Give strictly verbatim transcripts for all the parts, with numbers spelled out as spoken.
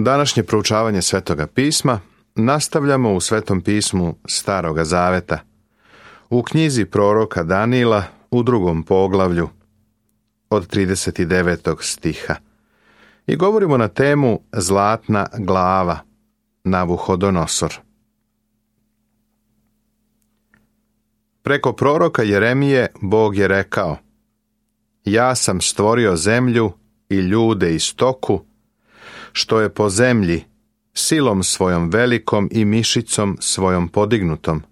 Današnje proučavanje Svetoga pisma nastavljamo u Svetom pismu Staroga Zaveta, u knjizi proroka Danila u drugom poglavlju od trideset devetog stiha i govorimo na temu Zlatna glava, Navuhodonosor. Preko proroka Jeremije Bog je rekao: Ja sam stvorio zemlju i ljude i stoku, što je po zemlji, silom svojom velikom i mišicom svojom podignutom,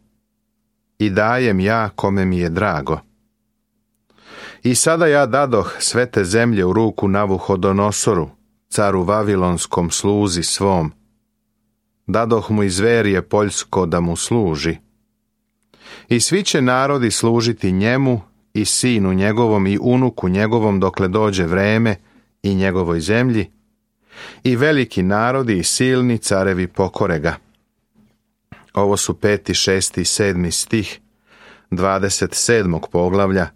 i dajem ja kome mi je drago. I sada ja dadoh sve te zemlje u ruku Navuhodonosoru, caru vavilonskom sluzi svom. Dadoh mu i zverje poljsko da mu služi. I svi će narodi služiti njemu i sinu njegovom i unuku njegovom dokle dođe vreme i njegovoj zemlji, i veliki narodi i silni carevi pokore ga. Ovo su peti, šesti i sedmi stih dvadeset sedmog poglavlja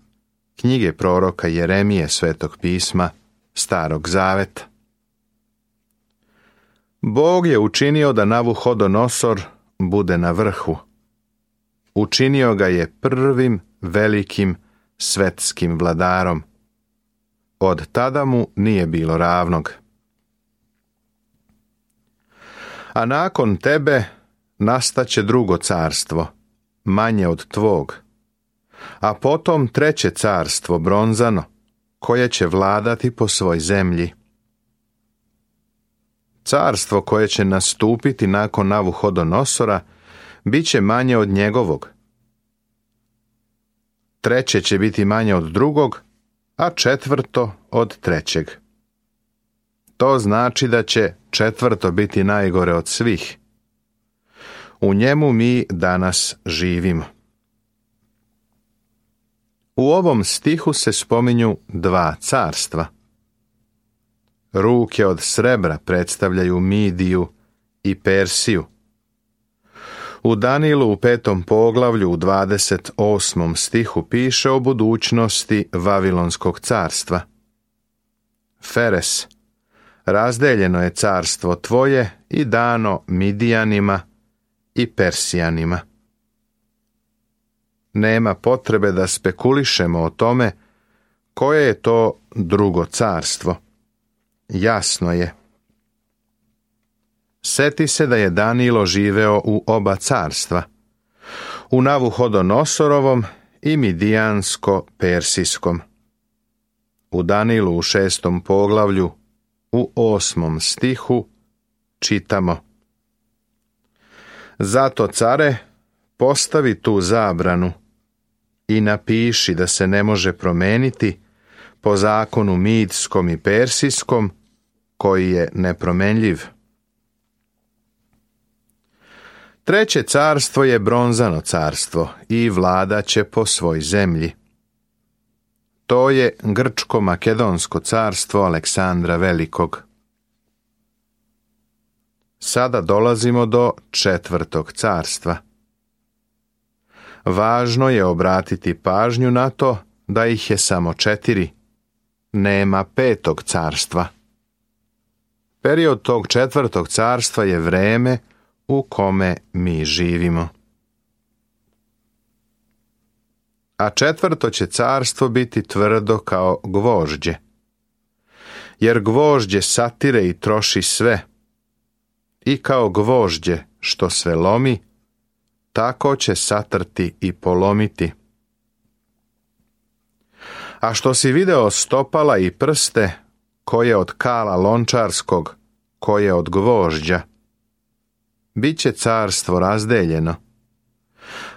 knjige proroka Jeremije Svetog pisma Starog Zaveta. Bog je učinio da Navuhodonosor bude na vrhu. Učinio ga je prvim velikim svetskim vladarom. Od tada mu nije bilo ravnog. A nakon tebe nastaće drugo carstvo, manje od tvog, a potom treće carstvo, bronzano, koje će vladati po svoj zemlji. Carstvo koje će nastupiti nakon Navuhodonosora bit će manje od njegovog. Treće će biti manje od drugog, a četvrto od trećeg. To znači da će četvrto biti najgore od svih. U njemu mi danas živimo. U ovom stihu se spominju dva carstva. Ruke od srebra predstavljaju Midiju i Persiju. U Danilu u petom poglavlju u dvadeset osmom stihu piše o budućnosti Vavilonskog carstva. Feres, razdeljeno je carstvo tvoje i dano Midijanima i Persijanima. Nema potrebe da spekulišemo o tome koje je to drugo carstvo. Jasno je. Seti se da je Danilo živeo u oba carstva, u Navuhodonosorovom i Midijansko-Persijskom. U Danilu u šestom poglavlju u osmom stihu čitamo: Zato, care, postavi tu zabranu i napiši da se ne može promeniti po zakonu Midskom i Persijskom, koji je nepromenljiv. Treće carstvo je bronzano carstvo i vladaće po svoj zemlji. To je Grčko-Makedonsko carstvo Aleksandra Velikog. Sada dolazimo do četvrtog carstva. Važno je obratiti pažnju na to da ih je samo četiri. Nema petog carstva. Period tog četvrtog carstva je vreme u kome mi živimo. A četvrto će carstvo biti tvrdo kao gvožđe. Jer gvožđe satire i troši sve. I kao gvožđe što sve lomi, tako će satrti i polomiti. A što si video stopala i prste, koje od kala lončarskog, koje od gvožđa, bit će carstvo razdeljeno,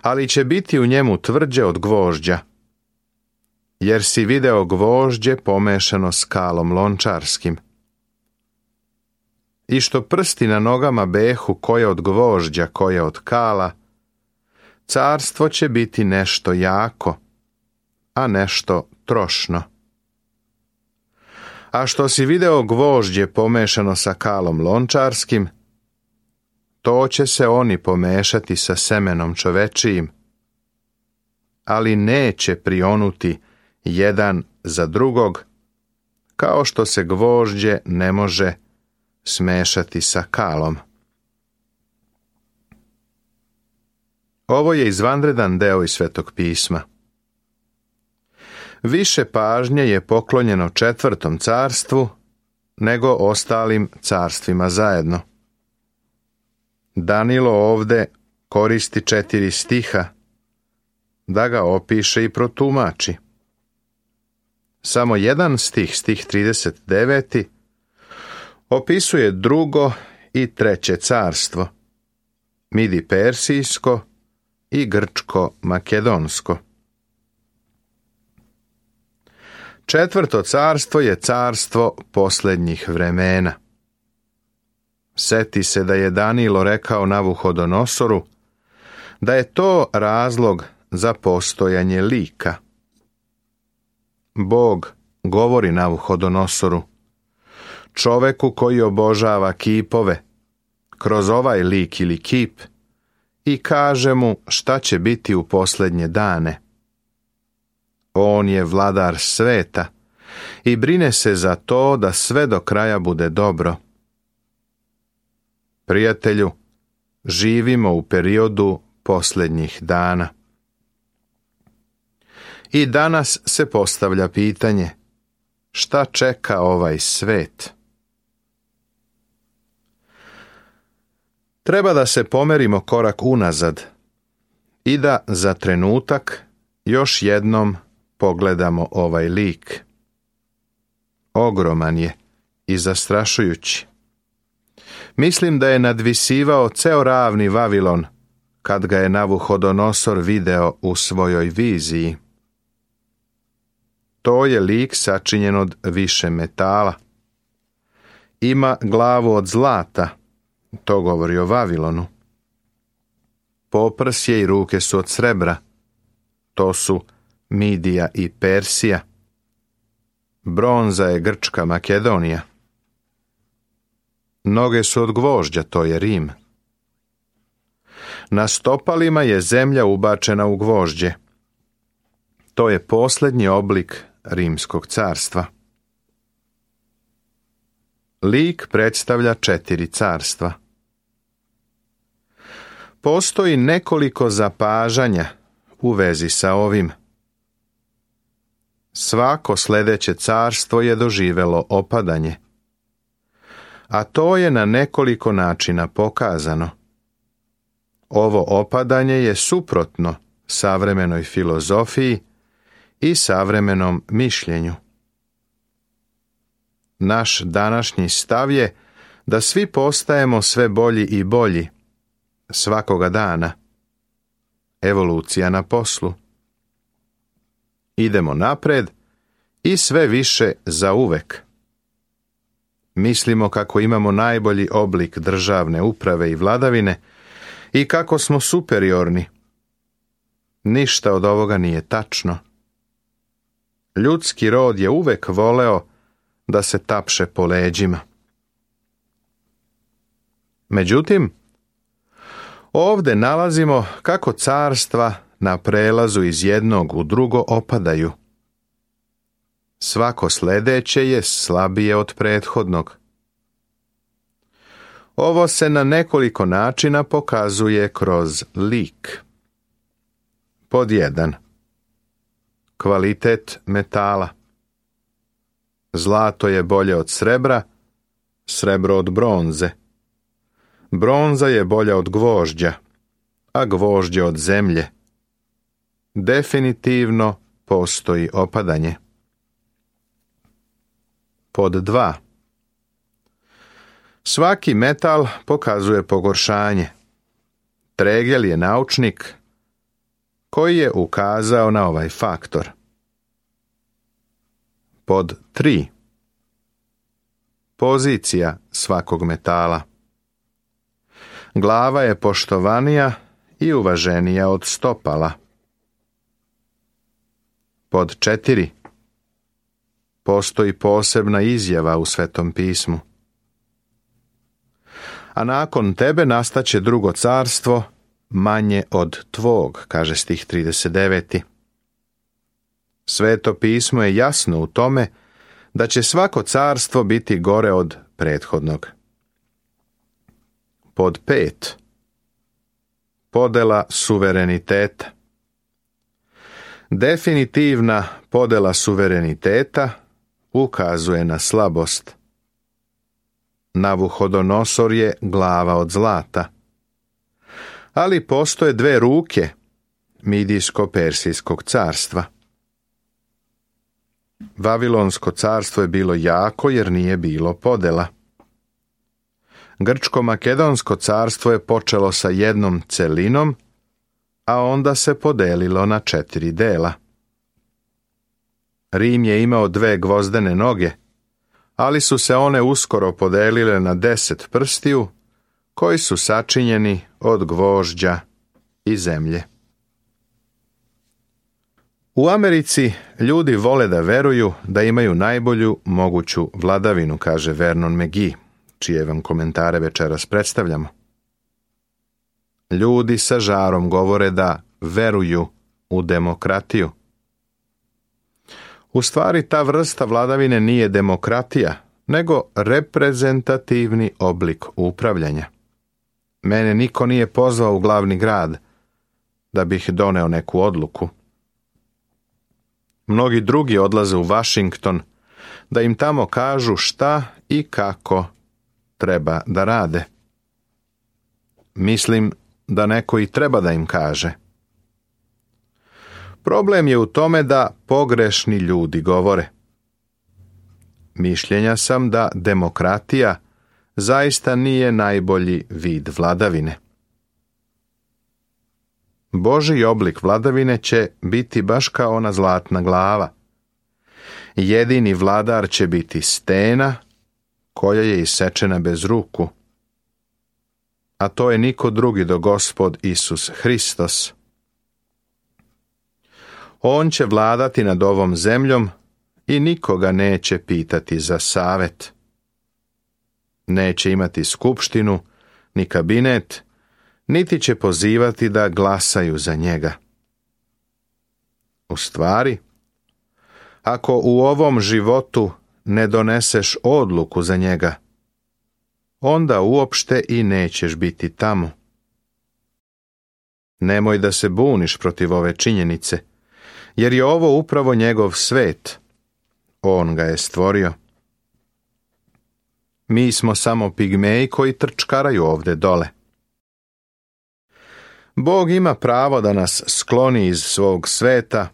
ali će biti u njemu tvrđe od gvožđa, jer si video gvožđe pomešano s kalom lončarskim. I što prsti na nogama behu koje od gvožđa, koje od kala, carstvo će biti nešto jako, a nešto trošno. A što si video gvožđe pomešano sa kalom lončarskim, to će se oni pomešati sa semenom čovečijim, ali neće prionuti jedan za drugog, kao što se gvožđe ne može smešati sa kalom. Ovo je izvanredan deo iz Svetog pisma. Više pažnje je poklonjeno četvrtom carstvu nego ostalim carstvima zajedno. Danilo ovde koristi četiri stiha da ga opiše i protumači. Samo jedan stih, stih trideset devet, opisuje drugo i treće carstvo, Midi-Persijsko i Grčko-Makedonsko. Četvrto carstvo je carstvo posljednjih vremena. Seti se da je Danilo rekao Navuhodonosoru da je to razlog za postojanje lika. Bog govori Navuhodonosoru, čoveku koji obožava kipove, kroz ovaj lik ili kip, i kaže mu šta će biti u posljednje dane. On je vladar sveta i brine se za to da sve do kraja bude dobro. Prijatelju, živimo u periodu posljednjih dana. I danas se postavlja pitanje, šta čeka ovaj svet? Treba da se pomerimo korak unazad i da za trenutak još jednom pogledamo ovaj lik. Ogroman je i zastrašujući. Mislim da je nadvisivao ceo ravni Vavilon kad ga je Navuhodonosor video u svojoj viziji. To je lik sačinjen od više metala. Ima glavu od zlata, to govori o Vavilonu. Poprsje i ruke su od srebra, to su Midija i Persija. Bronza je Grčka Makedonija. Noge su od gvožđa, to je Rim. Na stopalima je zemlja ubačena u gvožđe. To je posljednji oblik Rimskog carstva. Lik predstavlja četiri carstva. Postoji nekoliko zapažanja u vezi sa ovim. Svako sljedeće carstvo je doživelo opadanje, a to je na nekoliko načina pokazano. Ovo opadanje je suprotno savremenoj filozofiji i savremenom mišljenju. Naš današnji stav je da svi postajemo sve bolji i bolji svakoga dana. Evolucija na poslu. Idemo napred i sve više zauvek. Mislimo kako imamo najbolji oblik državne uprave i vladavine i kako smo superiorni. Ništa od ovoga nije tačno. Ljudski rod je uvek voleo da se tapše po leđima. Međutim, ovde nalazimo kako carstva na prelazu iz jednog u drugo opadaju. Svako sljedeće je slabije od prethodnog. Ovo se na nekoliko načina pokazuje kroz lik. Pod jedan. Kvalitet metala. Zlato je bolje od srebra, srebro od bronze. Bronza je bolja od gvožđa, a gvožđe od zemlje. Definitivno postoji opadanje. Pod dva. Svaki metal pokazuje pogoršanje. Tregel je naučnik koji je ukazao na ovaj faktor. Pod tri. Pozicija svakog metala. Glava je poštovanija i uvaženija od stopala. Pod četiri. Postoji posebna izjava u Svetom pismu. A nakon tebe nastaće drugo carstvo, manje od tvog, kaže stih trideset devet. Sveto pismo je jasno u tome da će svako carstvo biti gore od prethodnog. Pod pet. Podela suvereniteta. Definitivna podela suvereniteta ukazuje na slabost. Navuhodonosor je glava od zlata. Ali postoje dve ruke Midijsko-Persijskog carstva. Vavilonsko carstvo je bilo jako jer nije bilo podela. Grčko-Makedonsko carstvo je počelo sa jednom celinom, a onda se podelilo na četiri dela. Rim je imao dve gvozdene noge, ali su se one uskoro podelile na deset prstiju, koji su sačinjeni od gvožđa i zemlje. U Americi ljudi vole da veruju da imaju najbolju moguću vladavinu, kaže Vernon McGee, čije vam komentare večeras predstavljamo. Ljudi sa žarom govore da veruju u demokratiju. U stvari ta vrsta vladavine nije demokratija, nego reprezentativni oblik upravljanja. Mene niko nije pozvao u glavni grad da bih doneo neku odluku. Mnogi drugi odlaze u Washington da im tamo kažu šta i kako treba da rade. Mislim da neko i treba da im kaže. Problem je u tome da pogrešni ljudi govore. Mišljenja sam da demokratija zaista nije najbolji vid vladavine. Božji oblik vladavine će biti baš kao ona zlatna glava. Jedini vladar će biti stena koja je isečena bez ruku. A to je niko drugi do Gospod Isus Hristos. On će vladati nad ovom zemljom i nikoga neće pitati za savet. Neće imati skupštinu, ni kabinet, niti će pozivati da glasaju za njega. U stvari, ako u ovom životu ne doneseš odluku za njega, onda uopšte i nećeš biti tamo. Nemoj da se buniš protiv ove činjenice, jer je ovo upravo njegov svet. On ga je stvorio. Mi smo samo pigmeji koji trčkaraju ovde dole. Bog ima pravo da nas skloni iz svog sveta,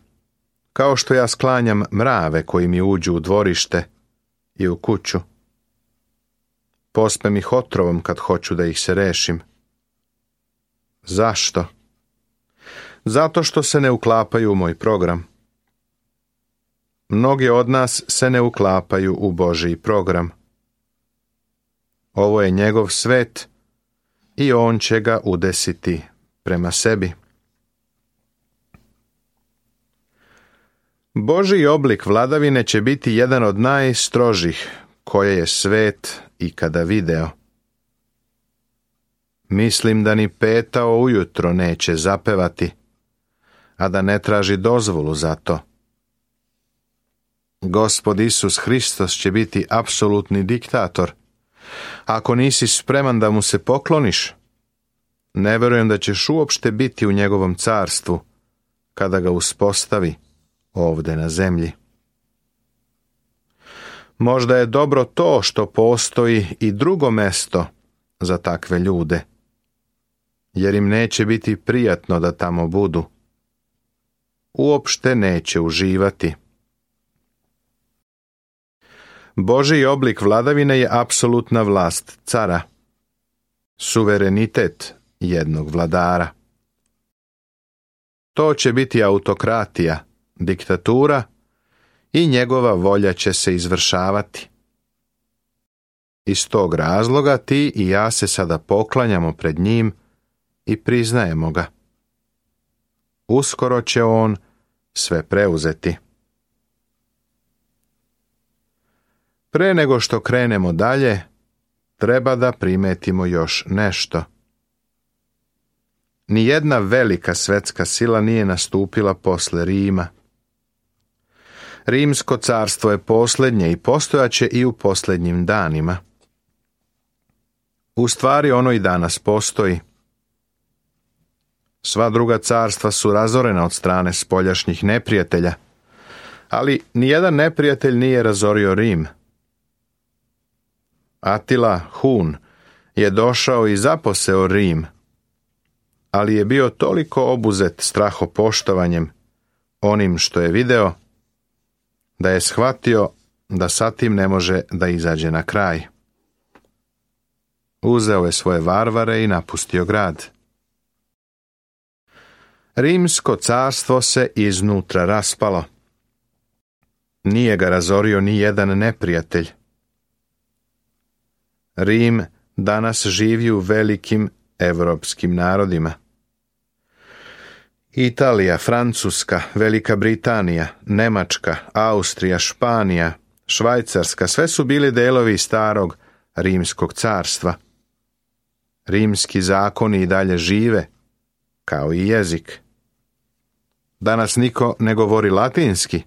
kao što ja sklanjam mrave koji mi uđu u dvorište i u kuću. Pospem ih otrovom kad hoću da ih se rešim. Zašto? Zato što se ne uklapaju u moj program. Mnogi od nas se ne uklapaju u Božji program. Ovo je njegov svet i on će ga udesiti prema sebi. Božji oblik vladavine će biti jedan od najstrožih koje je svet ikada video. Mislim da ni petao ujutro neće zapevati, a da ne traži dozvolu za to. Gospod Isus Hristos će biti apsolutni diktator. Ako nisi spreman da mu se pokloniš, ne verujem da ćeš uopšte biti u njegovom carstvu kada ga uspostavi ovde na zemlji. Možda je dobro to što postoji i drugo mesto za takve ljude, jer im neće biti prijatno da tamo budu. Uopšte neće uživati. Božji oblik vladavine je apsolutna vlast cara, suverenitet jednog vladara. To će biti autokratija, diktatura i njegova volja će se izvršavati. Iz tog razloga ti i ja se sada poklanjamo pred njim i priznajemo ga. Uskoro će on sve preuzeti. Pre nego što krenemo dalje, treba da primetimo još nešto. Nijedna velika svetska sila nije nastupila posle Rima. Rimsko carstvo je posljednje i postojaće i u posljednjim danima. U stvari ono i danas postoji. Sva druga carstva su razorena od strane spoljašnjih neprijatelja, ali nijedan neprijatelj nije razorio Rim. Atila Hun je došao i zaposeo Rim, ali je bio toliko obuzet strahopoštovanjem onim što je video, da je shvatio da sa tim ne može da izađe na kraj. Uzeo je svoje varvare i napustio grad. Rimsko carstvo se iznutra raspalo. Nije ga razorio ni jedan neprijatelj. Rim danas živi u velikim evropskim narodima. Italija, Francuska, Velika Britanija, Nemačka, Austrija, Španija, Švajcarska, sve su bili delovi starog Rimskog carstva. Rimski zakoni i dalje žive, kao i jezik. Danas niko ne govori latinski,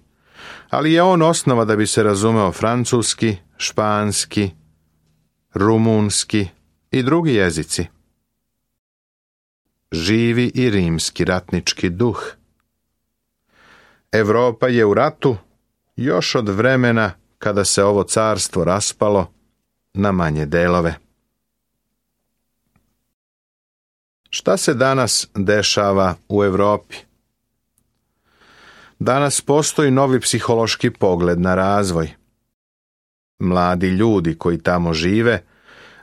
ali je on osnova da bi se razumeo francuski, španski, rumunski i drugi jezici. Živi i rimski ratnički duh. Evropa je u ratu još od vremena kada se ovo carstvo raspalo na manje delove. Šta se danas dešava u Evropi? Danas postoji novi psihološki pogled na razvoj. Mladi ljudi koji tamo žive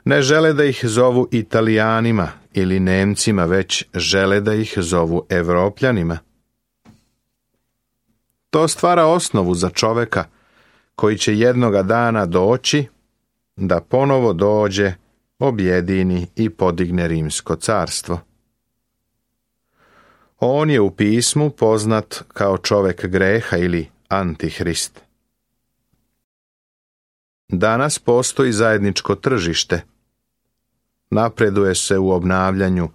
ne žele da ih zovu Italijanima ili Nemcima, već žele da ih zovu Evropljanima. To stvara osnovu za čoveka koji će jednoga dana doći da ponovo dođe, objedini i podigne Rimsko carstvo. On je u pismu poznat kao čovek greha ili Antihrist. Danas postoji zajedničko tržište. Napreduje se u obnavljanju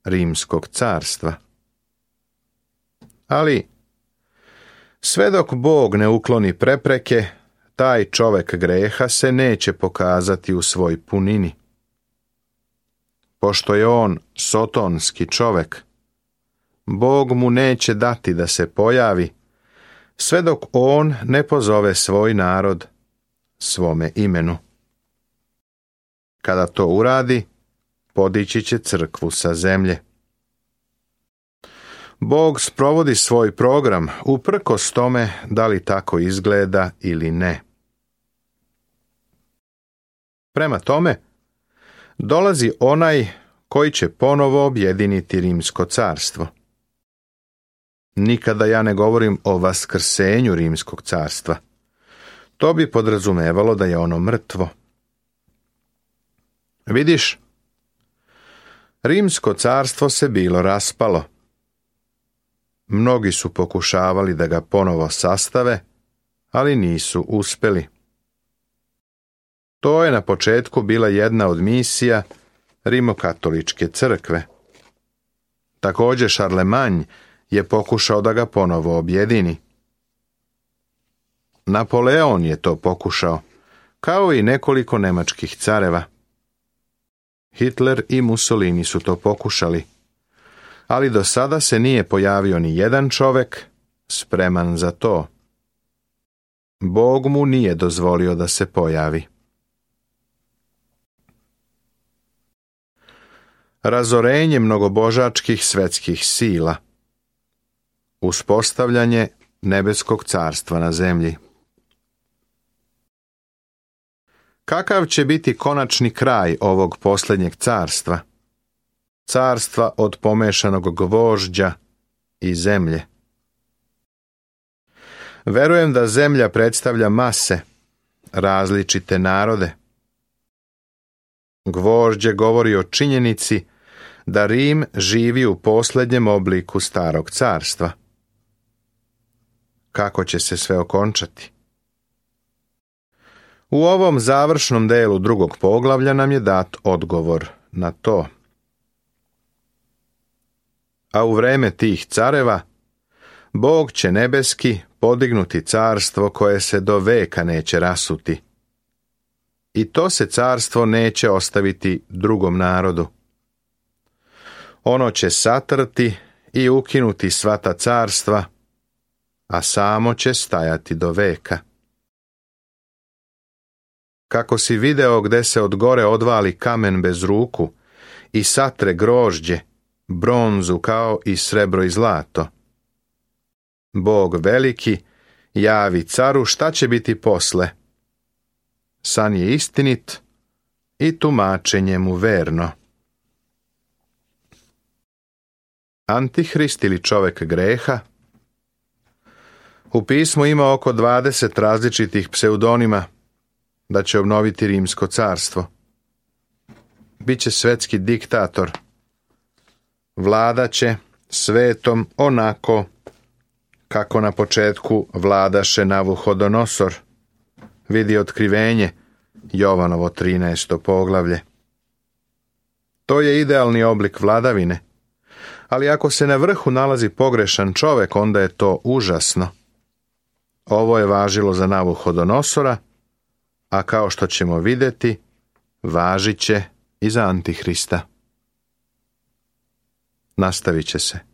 Rimskog carstva. Ali, sve dok Bog ne ukloni prepreke, taj čovek greha se neće pokazati u svoj punini. Pošto je on sotonski čovek, Bog mu neće dati da se pojavi, sve dok on ne pozove svoj narod svome imenu. Kada to uradi, podići će crkvu sa zemlje. Bog sprovodi svoj program uprkos tome da li tako izgleda ili ne. Prema tome, dolazi onaj koji će ponovo objediniti Rimsko carstvo. Nikada ja ne govorim o vaskrsenju Rimskog carstva. To bi podrazumevalo da je ono mrtvo. Vidiš, Rimsko carstvo se bilo raspalo. Mnogi su pokušavali da ga ponovo sastave, ali nisu uspeli. To je na početku bila jedna od misija Rimokatoličke crkve. Također Šarlemanj je pokušao da ga ponovo objedini. Napoleon je to pokušao, kao i nekoliko nemačkih careva. Hitler i Mussolini su to pokušali, ali do sada se nije pojavio ni jedan čovek spreman za to. Bog mu nije dozvolio da se pojavi. Razorenje mnogobožačkih svetskih sila. Uspostavljanje nebeskog carstva na zemlji. Kakav će biti konačni kraj ovog posljednjeg carstva? Carstva od pomešanog gvožđa i zemlje. Verujem da zemlja predstavlja mase, različite narode. Gvožđe govori o činjenici da Rim živi u posljednjem obliku starog carstva. Kako će se sve okončati? U ovom završnom delu drugog poglavlja nam je dat odgovor na to. A u vreme tih careva, Bog će nebeski podignuti carstvo koje se do veka neće rasuti. i to se carstvo neće ostaviti drugom narodu. Ono će satrti i ukinuti sva ta carstva, a samo će stajati do veka. Kako si video gde se od gore odvali kamen bez ruku i satre grožđe, bronzu kao i srebro i zlato. Bog veliki javi caru šta će biti posle. San je istinit i tumačenje mu verno. Antihrist ili čovek greha. U pismu ima oko dvadeset različitih pseudonima da će obnoviti rimsko carstvo. Biće svetski diktator. Vladaće svetom onako kako na početku vladaše Navuhodonosor. Vidi otkrivenje, Jovanovo trinaesto poglavlje. To je idealni oblik vladavine, ali ako se na vrhu nalazi pogrešan čovek, onda je to užasno. Ovo je važilo za Navuhodonosora, a kao što ćemo vidjeti, važit će i za Antihrista. Nastavit će se.